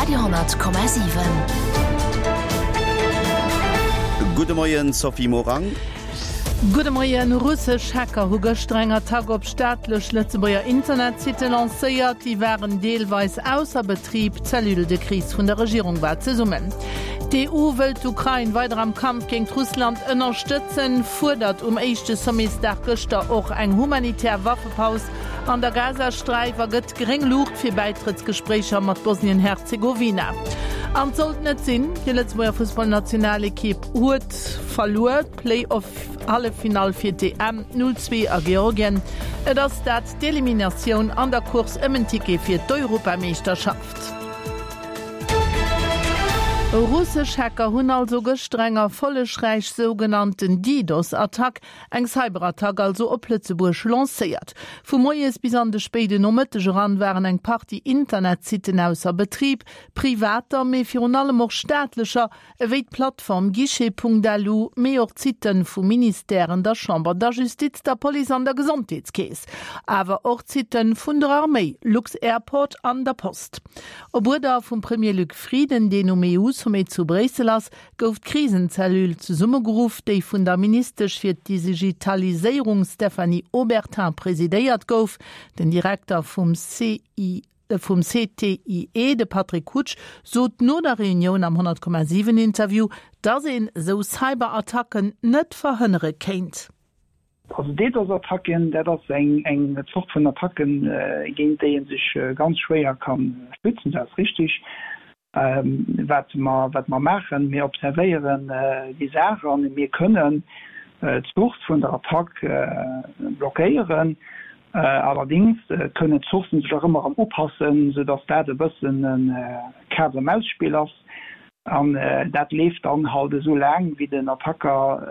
Radio 10,7. Gudde Moien, Sophie Morang. Gudde Moien. Russesch Hacker hu gëschter eng Attack op staatlech Lëtzebuerger Internetsitte lancéiert. Déi waren deelweis ausser Betrib. D'Cellule de crise vun der Regierung war zesummen. D'EU wëllt d'Ukrain weider am Kampf géint Russland ënnerstëtzen, fuerdert um éischte Sommetsdag gëschter och eng humanitär Waffepaus an der Gazasträif a gëtt gréng Luucht fir Bäitrëttsgespréicher mat Bosnien-Herzegowina. An et sollt net sinn, déi Lëtzebuerger Fussballnationalekipp huet verluer, d'Play-off-Halleffinall fir d'EM 0, 2 a Georgien. Et ass dat d'Eliminatioun an der Course ëm en Ticket fir d'Europameeschterschaft. Russesch Hacker hunn also gëschter eng erfollegräich sougenannten DDoS-Attack Eng Cyberattack also op Lëtzebuerg lancéiert. Vu moies bis an de spéiden Nomëtteg eran waren eng Partie Internetsitten ausser Betrib, privater, mee virun allem och staatlecher, ewéi d'Plattform Guichet.lu, mee och d'Sitte vu Ministèren, der Chamber, der Justiz, der Police an der Gesondheetskeess, awer och d'Sitte vun der Arméi, lux-Airport an der Post. Op Uerder vum Premier Luc Frieden, deen um EU-Sommet zu Bréissel ass, gouf d'Krisenzellule zesummegeruff, déi vun der Ministesch fir d'Digitaliséierung Stéphanie Obertin presidéiert gouf. Den Direkter vum CI vum CTIE, de Patrick Hutsch, sot no der Reunioun am 100,7 Interview, datt een esou Cyberattacken net verhënnere kéint. Also DDoS-Attacken, dat ass eng Zort vun Attacken, géint déi ee sech ganz schwéier ka schützen, dat ass richtig. Wat mer, wat mer maachen, mir observéieren déi Saach a mir kënnen d'Source vun der Attack blockéieren. Allerdéngs kënnen d'Sourcen sech och ëmmer erëm upassen, soudass dat e bëssen e Kaz-a-Maus-Spill ass. An dat leeft dann halt esou laang, wéi den Attacker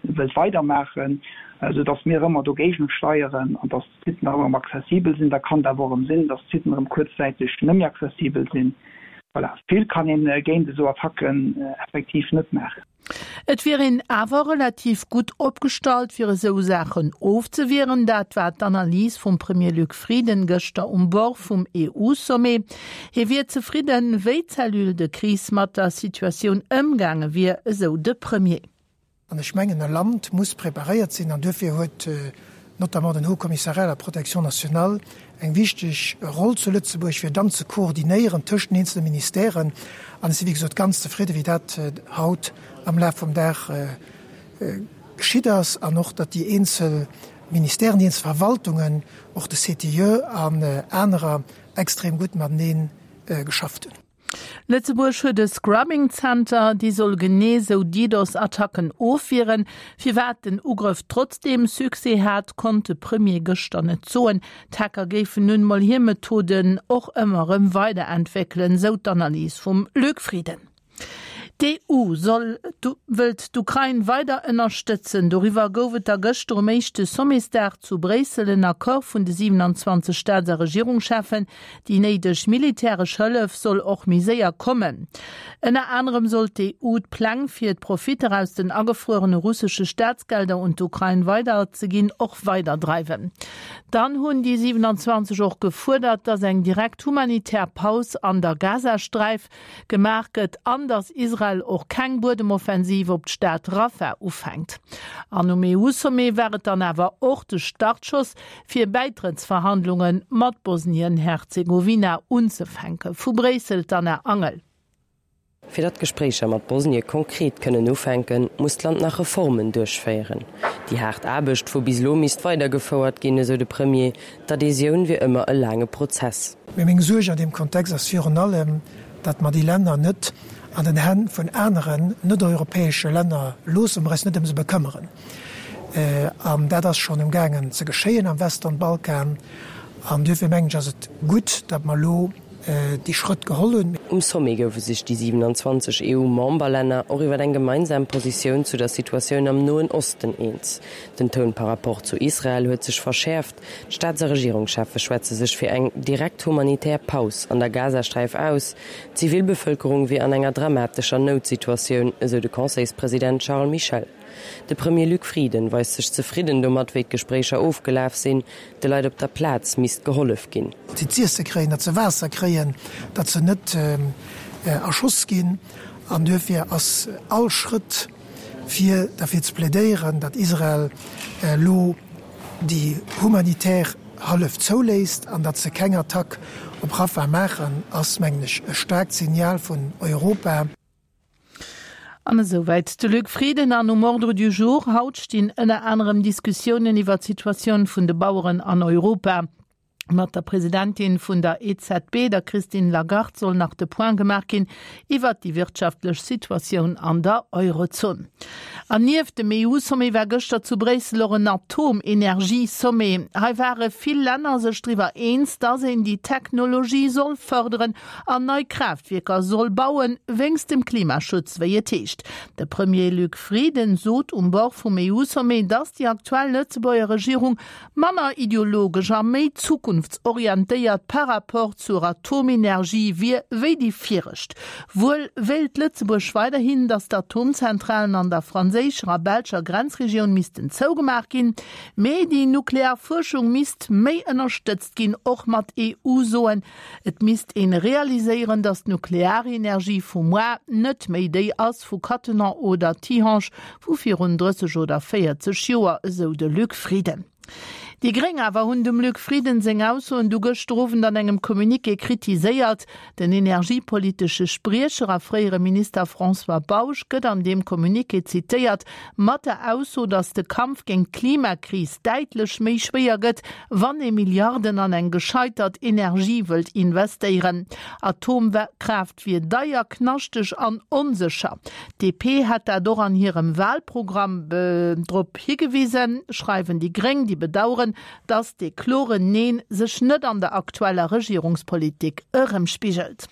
wëllt weidermaachen, esou datt mir ëmmer dogéigent steieren an datt d'Sitten och erëm accessibel sinn. Da kann et awer och erëm sinn, datt d'Sitten erëm kuerzzäiteg net méi accessibel sinn. Voilà, vill kann een géint esou Attacken effektiv net maachen. Et wier een awer relativ gutt opgestallt, fir esou Saachen ofzewieren. Dat war d'Analys vum Premier Luc Frieden gëschter um Bord vum EU-Sommet. Hie wier zefridden, wéi d'Cellule de crise mat der Situatioun ëmgaange wier, esou de Premier. An ech mengen, e Land muss preparéiert sinn, an duerfir huet notamment den Haut Commissariat à la protection nationale eng wichteg Roll zu Lëtzebuerg, fir dann ze koordinéieren tëscht den eenzele Ministèren. An ech si wéi gesot ganz zefridde wéi dat haut am Laf vum Dag geschitt ass an och, datt déi eenzel Ministèren, déi eenzel Verwaltungen, och de CTIE an anerer extrem gutt matenee geschafft hunn. Lëtzebuerg huet e Scrubbing Center, dee soll genee sou DDoS-Attacken ofwieren. Firwat den Ugrëff trotzdeem Succès hat, konnt de Premier gëschter net soen. D'Hacker géifen nun emol hir Methoden och ëmmer erëm weiderentwéckelen, sou d'Analys vum Luc Frieden. D'EU soll wëllt d'Ukrain weider ënnerstëtzen. Doriwwer gouf et da gëschter um éischte Sommetsdag zu Bréissel en Accord vun de 27 Staats a Regierungscheffen. Déi néideg militäresch Hëllef soll och méi séier kommen. Ënner anerem soll d'EU d'Pläng fir d'Profitter aus den agefruerene russesche Staatsgelder un d'Ukrain weiderzeginn och weiderdreiwen. Dann hunn déi 27 och gefuerdert, datt eng direkt humanitär Paus an der Gazasträif gemaach gëtt an datt Israel och keng Buedemoffensiv op d'Stad Rafah ufänkt. An um EU-Sommet war et dann awer och de Startschoss fir Bäitrëttsverhandlunge mat Bosnien-Herzegowina unzefänken. Vu Bréissel d'Anna Angel. Fir datt d'Gespréicher mat Bosnie konkret kënnen ufänken, muss d'Land nach Reformen duerchféieren. Déi haart Aarbecht vu bis elo misst weidergefouert ginn, esou de Premier. D'Adhesioun wier ëmmer e laange Prozess. Mee meng Suerg an deem Kontext ass virun allem, datt mer déi Länner net an den Hänn vun aneren net-europäesche Länner loossen, mer eis net ëm se bekëmmeren. An dat ass schonn emgaangen ze geschéien am Western Balkan. An duerfir mengen ech, ass et gutt, datt mer elo déi Schrëtt geholl hunn. Um Sommet goufe sech déi 27 EU-Memberlänner och iwwer eng gemeinsam Positioun zu der Situatioun am Noen Osten eens. Den Toun par rapport zu Israel huet sech verschäerft. D'Staats a Regierungscheffe schwätze sech fir eng direkt humanitär Paus an der Gazasträif aus. D'Zivilbevëlkerung wier an enger dramatescher Noutsituatioun, esou de Conseilspresident Charles Michel. De Premier Luc Frieden weist sech zefridden domat, wéi d'Gespréicher ofgelaf sinn. De Leit op der Plaz misst gehollef ginn. Datt si z'iesse kréien, datt se Waasser kréien, datt se net erschoss ginn. An duerfir ass all Schrëtt, fir derfir ze plädéieren, datt Israel elo déi humanitär Hëllef zouléisst an datt se keng Attack op Rafah maachen, ass, mengen ech, e staarkt Signal vun Europa. An esouwäit de Luc Frieden. An um Ordre du jour haut stinn ënner anerem Diskussiounen iwwer d'Situatioun vun de Baueren an Europa. Mat der Presidentin vun der EZB, der Christine Lagarde, soll nach de Point gemaach ginn iwwert déi wirtschaftlech Situatioun an der Eurozon. An nieft dem EU-Sommet war gëschter zu Bréissel och en Atomenergie-Sommet. Hei ware vill Länner sech driwwer eens, datt een déi Technologie soll fërderen an nei Kraaftwierker soll bauen, wéinst dem Klimaschutz, wéi et heescht. De Premier Luc Frieden sot um Bord vum EU-Sommet, datt déi aktuell Lëtzebuerger Regierung manner ideologesch a méi zukunftsorientéiert par rapport zur Atomenergie wier wéi déi viregt. Wuel wéilt Lëtzebuerg weiderhin, datt d'Atomzentralen an der franséischer a belscher Grenzregioun missten zougemaach ginn, mee déi nuklear Fuerschung misst méi ënnerstëtzt ginn, och mat EU-Soen. Et misst een realiséieren, datt d'Nuklearenergie vu moar net méi déi ass vu Cattenom oder Tihange vu virun 30 oder 40 Joer, esou de Luc Frieden. Déi Gréng awer hunn dem Luc Frieden seng Aussoen du gëschter Owend an engem Communiqué kritiséiert. Den energiepolitesche Spriecher a fréiere Minister François Bausch gëtt an deem Communiqué zitéiert mat der Ausso, datt de Kampf géint d'Klimakris däitlech méi schwéier gëtt, wann ee Milliarden an eng gescheitert Energie wëllt investéieren. Atomkraaft wier deier, knaschteg an onsécher. D'DP hätt dat och an hirem Wahlprogramm drop higewisen, schreiwen déi Gréng, déi bedaueren, datt dee kloren Neen sech net an der aktueller Regierungspolitik erëmspigelt.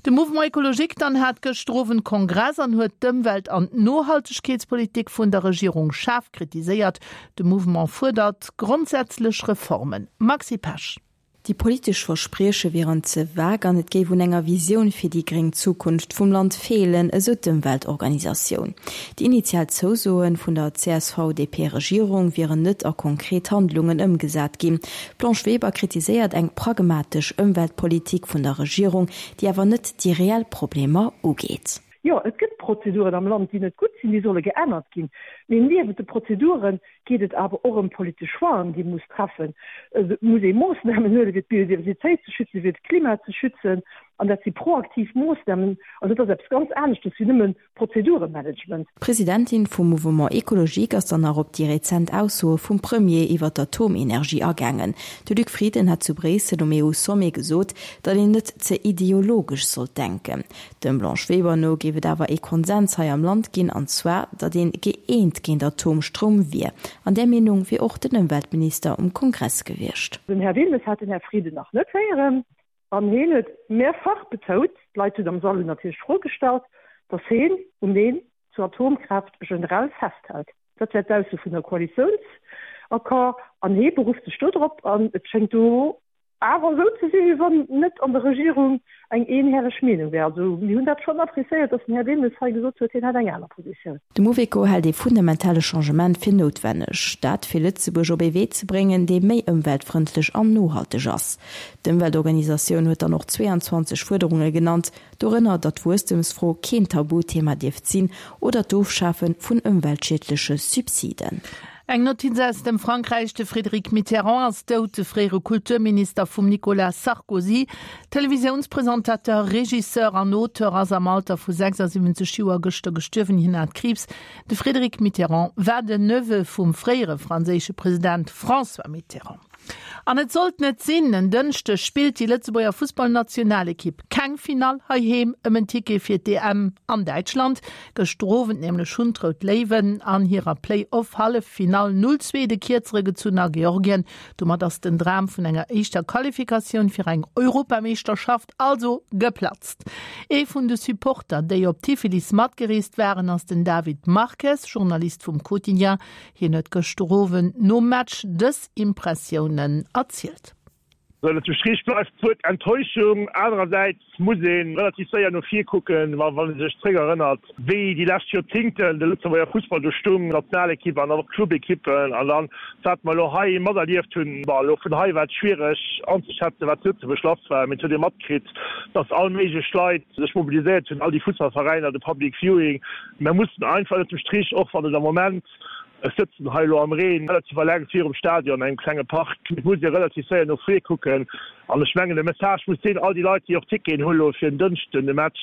De Mouvement Ecologique dann hat gëschter Owend Kongress an huet d'Ëmwelt an d'Nohaltegkeetspolitik vun der Regierung schaarf kritiséiert. De Mouvement fuerdert grondsätzlech Reformen. Maxi Pesch. Déi politesch Versprieche wieren ze vague an et géif un enger Visioun fir déi gréng Zukunft vum Land feelen, esou d'Ëmweltorganisatioun. Déi initial Zousoe vun der CSV-DP-Regierung wieren net a konkret Handlungen ëmgesat ginn. D'Blanche Weber kritiséiert eng pragmatesch Ëmweltpolitik vun der Regierung, déi awer net déi reell Problemer ugeet. Jo, et gëtt Prozeduren am Land, déi net gutt sinn, déi solle geännert ginn. Mee niewent de Prozedure geet et awer och ëm politesch Choixen, déi ee muss treffen. Et muss ee Moossnamen huelen, fir d'Biodiversitéit ze schützen, fir d'Klima ze schützen. An dat si proaktiv Moossnamen. An dat ass eppes ganz aneschtes wéi nëmmen Prozeduremanagement. D'Presidentin vum Mouvement Ecologique ass dann nach op déi rezent Aussoe vum Premier iwwer d'Atomenergie agaangen. De Luc Frieden hat zu Bréissel um EU-Sommet gesot, datt een net ze ideologesch sollt denken. Dem Blanche Weber no géif et awer ee Konsens hei am Land ginn, an zwar, datt een gëeent géint Atomstroum wier. An där Meenung wier och den Ëmweltminister um Kongress gewiescht. Den Här Wilmes hat den Här Frieden nach net héieren. An heen huet mehrfach betount, d'Leit hunn am Sall hunn natierlech d'Fro gestallt, datt heen um Neen zur Atomkraaft generell festhält. Dat wär d'Ausso vun der Koalitiounsaccord an hee berufft sech do drop. An et schéngt do awer esou ze sinn, wéi wann net an der Regierung eng eenherreg Meenung wär. Also mir hunn dat schonn appréciéiert, datt den Här Wilmes hei gesot huet, hien hätt eng aner Positioun. De Mouveco hält ee fundamentale Changement fir noutwenneg. Dat fir Lëtzebuerg op ee Wee ze bréngen, dee méi ëmweltfrëndlech an nohalteg ass. D'Ëmweltorganisatioun huet dann och 22 Fuerderunge genannt, dorënner datt d'Wuesstemsfro keen Tabuthema dierft sinn oder d'Ofschafe vun ëmweltschiedleche Subsiden. Eng Notiz aus dem Frankräich, De Frédéric Mitterrand ass dout, de fréiere Kulturminister vum Nicolas Sarkozy. Televisiounspresentateur, Regisseur an Auteur ass am Alter vu 76 Joer gëschter gestuerwen. Hien hat Kriibs. De Frédéric Mitterrand war den Neveu vum fréiere franséische President François Mitterrand. An et sollt net sinn, En Dënschdeg spillt déi Lëtzebuerger Fussballnationalekipp keng Finall heiheem ëm en Ticket fir d'EM an Däitschland. Gëschter Owend nämlech hunn d'Rout Léiwen an hirer Play-Off-Halleffinall 0, 2 de Kierzere gezunn a Georgien. Domat ass den Dram vun enger éischter Qualifikatioun fir eng Europameeschterschaft also geplatzt. Ee vun de Supporter, déi op Tiflis matgereest waren, ass den David Marques, Journalist vum Quotidien. Hien huet gëschter Owend nom Match dës Impressiounen erzielt. Ënnert dem Strich bleift d'Wuert Enttäuschung. Anerersäits muss ee relativ séier no vir kucken, wa wann ee sech zréckerënnert, wéi déi lescht Joerzingten de Lëtzebuerger Fussball do stung, Nationalekipp an och Clubekippen, an dann wat mer elo hei materlieft hunn. Bon, elo vun hei war et schwiereg anzeschätzen, wat zu Lëtzebuerg lass war, mee et huet ee matkritt, datt all méiglech Leit sech mobiliséiert hunn, all déi Fussballveräiner, de Public Viewing. Mer mussen einfach ënnert dem Strich, och wann et am Moment, Ech sëtzen hei elo am Reen, relativ eleng virum Stadion, engem klenge Park. Et muss ee relativ séier no vir kucken. An ech mengen, de Message muss sinn, all déi Leit, déi och Ticketen hu elo fir en Dënschden de Match,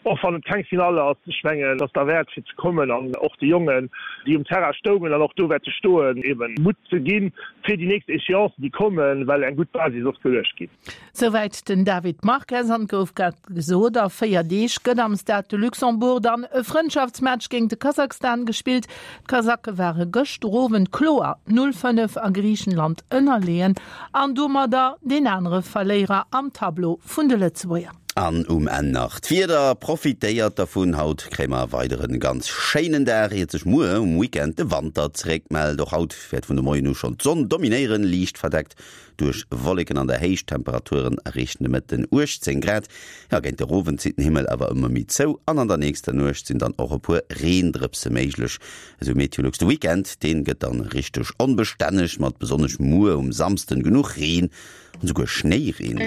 och wann et keng Finall ass, ech mengen, et ass derwäert fir ze kommen an och de Jongen, déi um Terrain stoungen an och do wäerte stoen, eeben Mutt ze ginn fir déi nächst Échéancen, déi kommen, well eng gutt Basis ass geluecht ginn. Souwäit den David Marques. An et gouf grad gesot, a 4 Deeg gëtt am Stade de Luxembourg dann e Frëndschaftsmatch géint de Kasachstan gespillt. D'Kasake ware gëschter Owend kloer 0, 5 a Griichenland ënnerleeën an domadder deen anere Verléierer am Tableau vun de Lëtzebuerger. An um Enn nach d'Wieder, Profitéiert dervun, haut kréie mer e weideren ganz schéinen Dag, iert sech muer um Weekend de Wanter zeréckmellt. Och haut wäert vun de Moien u schonn d'Sonn dominéieren, liicht verdeckt Duerch Wolleken an der Héicht, Temperaturen erreechen de Mëtten 18 Grad. Jo, géint de Owend zitt den Himmel awer ëmmer méi zou an an der nächster Nuecht sinn dann och e puer Reendrëpse méiglech, esou Meteolux. De Weekend, deen gëtt dann richteg onbestänneg, mat besonnesch muer um Samsden genuch Reen an esouguer Schnéireen.